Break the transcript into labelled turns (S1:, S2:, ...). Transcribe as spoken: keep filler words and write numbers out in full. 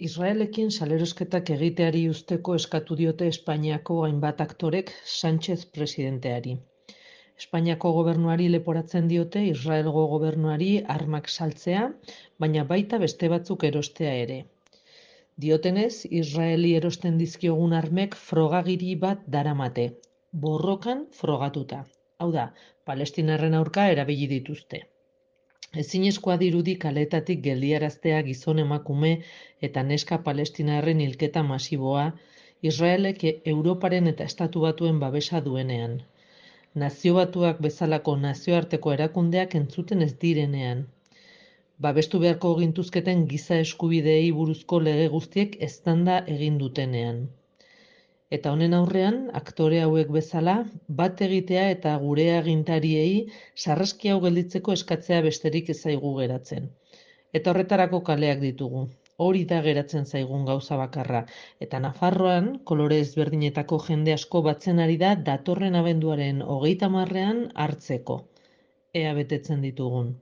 S1: Israelekin salerosketak egiteari uzteko eskatu diote Espainiako hainbat aktorek Sánchez presidenteari. Espainiako gobernuari leporatzen diote Israelgo gobernuari armak saltzea, baina baita beste batzuk erostea ere. Diotenez, Israeli erosten dizkiogun armek frogagiri bat daramate, borrokan frogatuta. Hau da, palestinarren aurka erabili dituzte. Ezinezkoa dirudi kaleetatik geldiaraztea gizon emakume eta neska palestinarren hilketa masiboa, Israelek Europaren eta Estatu Batuen babesa duenean. Nazio Batuak bezalako nazioarteko erakundeak entzuten ez direnean. Babestu beharko gintuzketen giza eskubideei buruzko lege guztiek eztanda egin dutenean. Eta honen aurrean, aktore hauek bezala, bat egitea eta gure agintariei sarraski hau gelditzeko eskatzea besterik ez zaigu geratzen. Eta horretarako kaleak ditugu. Hori da geratzen zaigun gauza bakarra. Eta Nafarroan, kolore ezberdinetako jende asko batzen ari da datorren abenduaren hogeita hamarrean hartzeko. Ea betetzen ditugun.